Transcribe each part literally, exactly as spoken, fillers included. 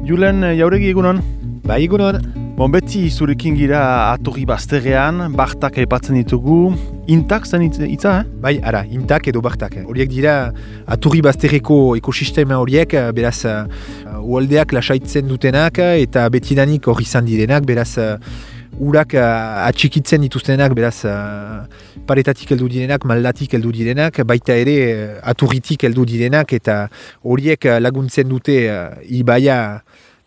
Julen Jauregi egunon? Bai egunon. Bon, beti zurekin gira atorri bazterrean, bartak aipatzen ditugu. Intak zen hitza, eh? Bai, ara, intak edo bartak. Horiek dira aturri bazterreko ekosistema horiek, beraz, uh, ualdeak lasaitzen dutenak eta betidanik hori izan direnak, beraz, uh, urak uh, atxikitzen dituztenak, beraz, uh, paretatik heldu direnak, maldatik heldu direnak, baita ere uh, aturritik heldu direnak, eta horiek uh, laguntzen dute uh, ibaia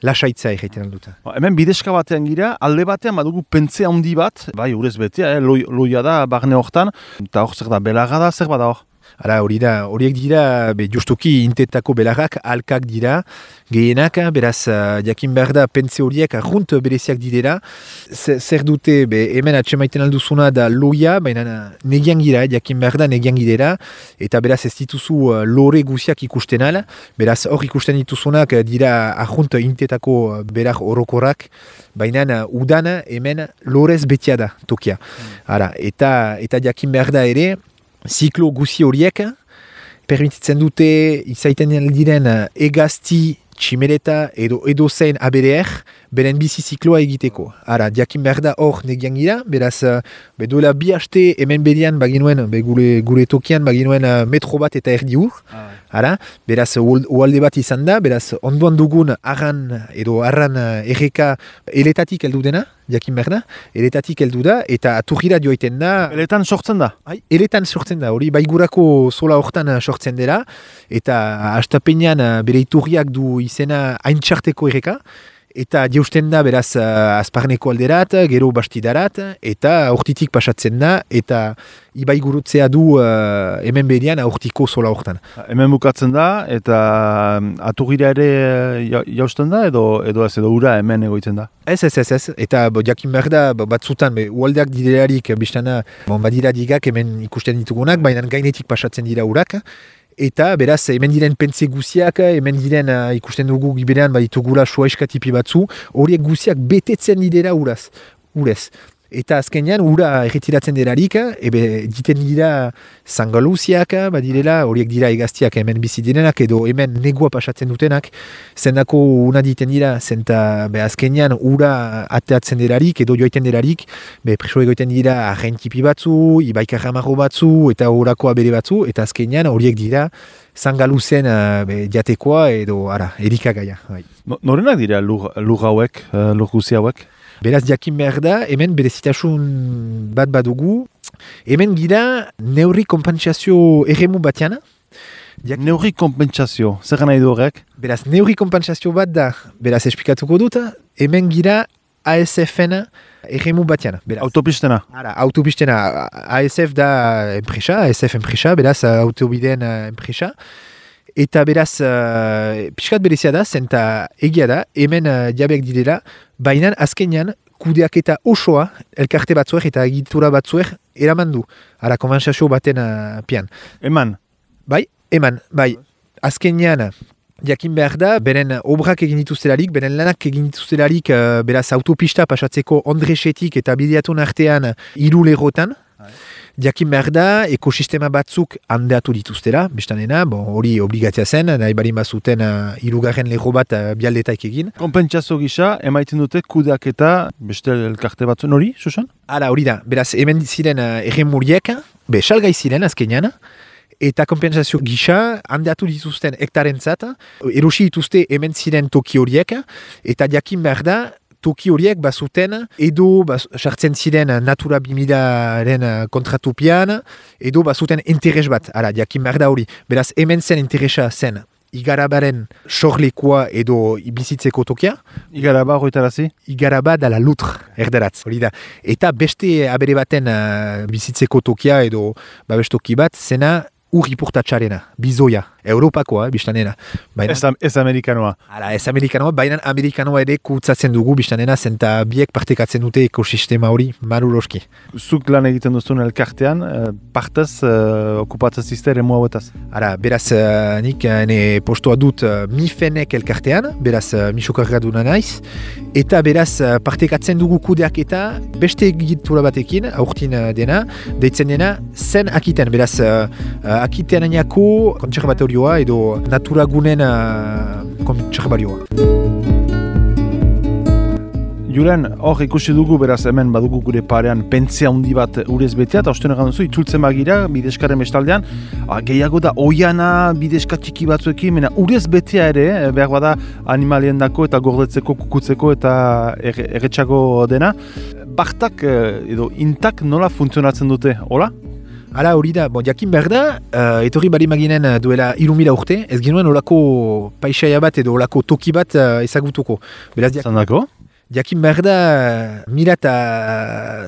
lasaitza egiten alduta. Hemen bideska batean gira, alde batean badugu pentze handi bat, bai, urez betea, eh, loi, loia da, barne hortan, eta hor zer da, belarra da, zer bada hor? Hala, hori da, horiek dira, be, justuki intetako belarrak, alkak dira, gehienak, beraz, uh, jakin behar da, pentze horiek arrunt bereziak direla, zer dute, be, hemen atxemaiten alduzuna da loia, baina negian gira, jakin behar da, negian girela, eta beraz ez dituzu uh, lore guziak ikusten ala, beraz hor ikusten dituzunak dira arrunt intetako belar orokorrak, baina uh, udan hemen lorez betia da, tokia. Hala, eta, eta jakin behar da ere, ziklo guzi horiek, permititzen dute izaiten diren egazti, tximeleta edo edo zein abereer, beren bizi zikloa egiteko. Ara, diakin behar da hor negian gira, beraz, be duela bi haste hemen berian baginuen, be gure, gure tokian baginuen metro bat eta erdi ur. Ah, ara, beraz, ualde bat izan da, beraz, onduan dugun arran edo arran erreka eletatik heldu dena, diakin behar da, eletatik heldu da, eta aturgira joaiten da. Eletan sortzen da? Ai, eletan sortzen da, hori baigurako zola hortan sortzen dela, eta hastapenean bere iturriak du izena haintxarteko erreka, eta jeusten da beraz uh, azparneko alderat, gero bastidarat, eta hortitik pasatzen da, eta ibai gurutzea du uh, hemen berian hortiko zola hortan. Hemen bukatzen da, eta aturgira ere ja, jausten da, edo edo ez edo ura hemen egoitzen da? Ez, ez, ez, ez. Eta bo, jakin behar da, batzutan, be, ualdeak direlarik, biztana, bon, badira digak hemen ikusten ditugunak, baina gainetik pasatzen dira urak, eta beraz, hemen diren pentze guziak, hemen diren uh, ikusten dugu giberean baditugula soa eskatipi batzu, horiek guziak betetzen dira uraz, urez. Eta azkenean, ura erretiratzen delarik, ebe diten dira zangaluziak, badirela, horiek dira egaztiak hemen bizi direnak, edo hemen negua pasatzen dutenak, zendako una diten dira, zenta be azkenean ura ateatzen delarik, edo joaiten delarik, be preso egoiten dira arrentipi batzu, ibaikarramarro batzu, eta horako abere batzu, eta azkenean horiek dira zangaluzen uh, be, jatekoa, edo ara, erikagaia. Bai. No, norenak dira lur, lur hauek, uh, lur guzi hauek? Beraz, jakin behar da, hemen berezitasun bat badugu, hemen gira neurri kompensazio erremu batean. Jak... Neurri kompensazio, zer nahi du horrek? Beraz, neurri kompensazio bat da, beraz, esplikatuko dut, hemen gira A S F-en erremu batean. Beraz. Autopistena? Ara, autopistena. A S F da enpresa, A S F enpresa, beraz, autobideen enpresa. Eta beraz, uh, pixkat berezia da, zenta egia da, hemen uh, diabek direla, baina azkenean kudeak eta osoa, elkarte batzuek eta egitura batzuek eraman du. Ara, konbentzazio baten uh, pian. Eman? Bai, eman, bai. Azkenean, jakin behar da, beren obrak egin dituztelarik, beren lanak egin dituztelarik, uh, beraz autopista pasatzeko Ondresetik eta Bideatun artean hiru lerrotan. Jakin behar da, ekosistema batzuk handeatu dituztera, bestanena, bon, hori obligatzea zen, nahi barin bazuten uh, irugarren lerro bat uh, bialdetaik egin. Konpentsazio gisa, emaiten dute kudeak eta beste elkarte batzuen hori, Susan? Hala, hori da, beraz, hemen ziren uh, erremuriek, be, salgai ziren azkenean, eta konpentsazio gisa handeatu dituzten hektarentzat, erosi dituzte hemen ziren toki horiek, eta jakin behar da, toki horiek bazuten, edo sartzen ziren Natura bi milaren kontratupian, edo bazuten interes bat, ara, jakin behar da hori. Beraz, hemen zen interesa zen Igarabaren sorlekoa edo bizitzeko tokia. Igaraba horretarazi? Igaraba da la lutre, erderatz, hori da. Eta beste abere baten uh, bizitzeko tokia edo babestoki bat, zena ur ipurtatxarena, bizoia. Europakoa, eh, biztanena. Baina, Ez, ez amerikanoa. Hala, ez amerikanoa, baina amerikanoa ere kutsatzen dugu biztanena, zenta biek partekatzen dute ekosistema hori, maruloski. Zuk lan egiten duzun elkartean, eh, partez eh, okupatzen zizte ere hauetaz. Ara, beraz, uh, nik uh, ene postoa dut uh, mifenek elkartean, beraz, uh, misokarraduna naiz, eta beraz, uh, partekatzen dugu kudeak eta beste egitura batekin, aurtin uh, dena, deitzen dena, zen akiten, beraz, uh, uh, akitenainako kontserbatorioa edo naturagunen uh, kontserbarioa. Julen, hor ikusi dugu, beraz hemen badugu gure parean pentsea handi bat urez betea, eta osten egan duzu, itzultzen bagira, bideskaren bestaldean, ah, gehiago da oiana, bideska txiki batzuekin, mena urez betea ere, eh, behar bada animalien dako eta gordetzeko, kukutzeko eta er, erretxago dena. Bartak eh, edo intak nola funtzionatzen dute, hola? Hala, hori da, bon, jakin behar da, uh, etorri bari maginen uh, duela irumila urte, ez genuen olako paisaia bat edo olako toki bat uh, ezagutuko. Beraz, jak... Zandako? Jakin behar da, mila eta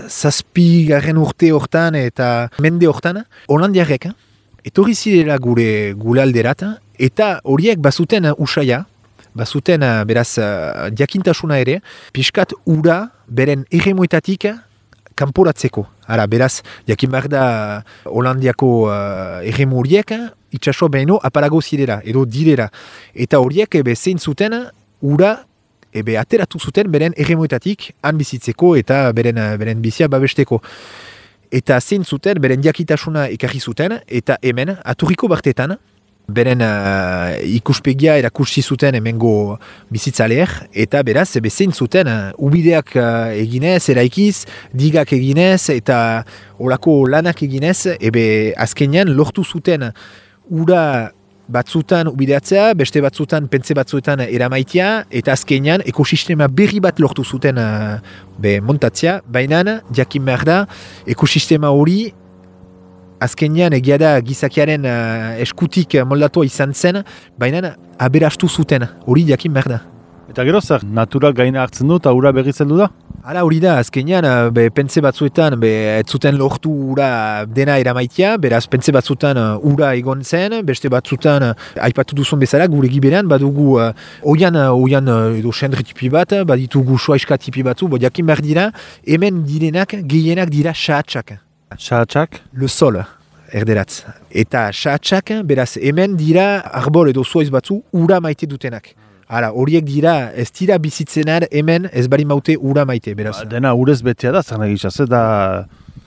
zazpi garren urte hortan eta mende hortan, holandiarrek, etorri zirela gure gure alderat, eta horiek bazuten usaia, bazuten beraz jakintasuna ere, pixkat ura beren erremoetatik kanporatzeko. Ara, beraz, jakin behar da Holandiako uh, erremu horiek, itxasua behino apalago zirela, edo direla. Eta horiek ebe zein zuten ura ebe ateratu zuten beren erremoetatik han bizitzeko eta beren, beren bizia babesteko. Eta zein zuten beren jakitasuna ekarri zuten, eta hemen, aturriko bartetan, beren uh, ikuspegia erakusi zuten hemengo bizitzaleer, eta beraz, ebe zein zuten uh, ubideak uh, eginez, eraikiz, digak eginez, eta olako lanak eginez, ebe azkenean lortu zuten ura batzutan ubideatzea, beste batzutan pentze batzuetan eramaitia, eta azkenean ekosistema berri bat lortu zuten uh, be montatzea, baina jakin behar da ekosistema hori azkenean egia da gizakiaren uh, eskutik moldatua izan zen, baina aberastu zuten, hori jakin behar da. Eta gero zer, natura gaina hartzen du eta ura berriz heldu da? Hala, hori da, azkenean, be, pentze batzuetan, be, ez zuten lortu ura dena eramaitia, beraz, pentze batzutan uh, ura egon zen, beste batzutan, uh, aipatu duzun bezala, gure giberan, badugu uh, oian, uh, oian uh, edo sendre tipi bat, baditugu soaiska tipi batzu, bo jakin behar dira, hemen direnak, gehienak dira sahatsak. Sahatsak? Le sol, erderatz. Eta sahatsak, beraz, hemen dira arbol edo soaiz batzu, ura maite dutenak. Hala, horiek dira, ez dira bizitzenar hemen ez bari maute ura maite, beraz. Ba, dena urez betea da, zer nagizaz, da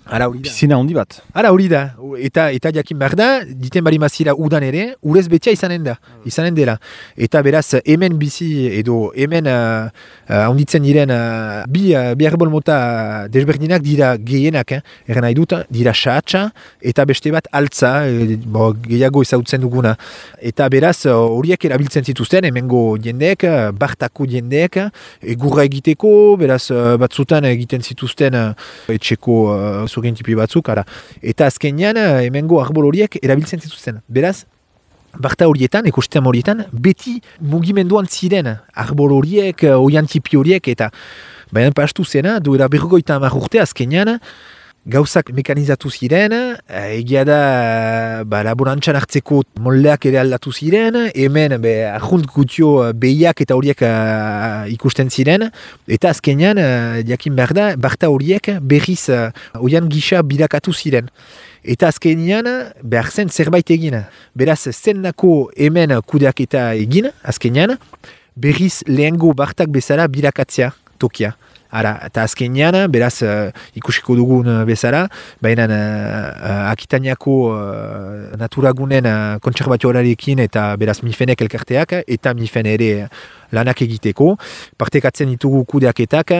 Ara, hori da. Piscina handi bat. Hala, hori da. Eta, eta jakin behar da, diten bari mazira udan ere, urez betea izanen da, izanen dela. Eta beraz, hemen bizi edo hemen uh, uh, onditzen diren uh, bi, uh, bi arbol mota desberdinak dira gehienak, eh? Erren nahi dut, dira sahatsa eta beste bat altza, e, bo, gehiago ezagutzen duguna. Eta beraz, horiek erabiltzen zituzten, hemengo jendeek, bartako jendeek, egurra egiteko, beraz, batzutan egiten zituzten etxeko uh, zurien tipi batzuk, ara. Eta azkenean, hemengo arbol horiek erabiltzen zituzten. Beraz, barta horietan, ekosistema horietan, beti mugimenduan ziren arbol horiek, oian tipi horiek, eta baina pastu zena, duela berrogeita hamar urte azkenean, gauzak mekanizatu ziren, egia da ba, laborantzan hartzeko moldeak ere aldatu ziren, hemen be, ahunt gutio behiak eta horiek uh, ikusten ziren, eta azkenean, uh, jakin behar da, barta horiek berriz uh, oian gisa bilakatu ziren. Eta azkenean, behar zen zerbait egin. Beraz, zennako hemen kudeak eta egin, azkenean, berriz lehengo bartak bezala bilakatzea tokia. Ara, eta azkenean, beraz, uh, ikusiko dugun bezala, baina uh, uh, Akitaniako uh, naturagunen uh, kontserbatioarekin eta beraz mifenek elkarteak eta mifen ere lanak egiteko, partekatzen ditugu kudeaketak,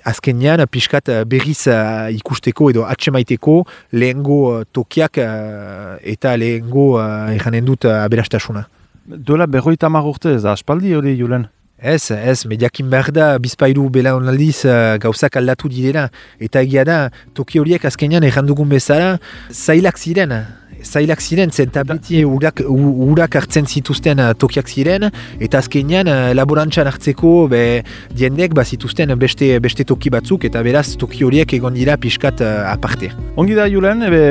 azkenean pixkat berriz uh, ikusteko edo atsemaiteko lehengo uh, tokiak uh, eta lehengo uh, eranen dut uh, aberastasuna. Duela berroita hamar urte ez da, aspaldi hori Julen? Ez, ez, mediakin behar da, bizpairu bela onaldiz uh, gauzak aldatu direla. Eta egia da, toki horiek azkenean errandugun bezala, zailak ziren. zailak ziren, zen eta beti urak, urak hartzen zituzten uh, tokiak ziren, eta azkenean uh, laborantzan hartzeko be, diendek ba, zituzten beste, beste toki batzuk, eta beraz toki horiek egon dira pixkat uh, aparte. Ongi da, Julen, ebe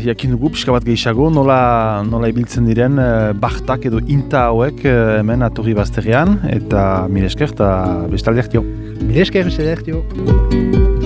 jakin dugu pixka bat gehiago, nola, nola ibiltzen diren uh, bartak edo inta hauek uh, hemen atorri bazterrean, eta mire esker, eta bestaldeak dio. Mire esker, bestaldeak dio.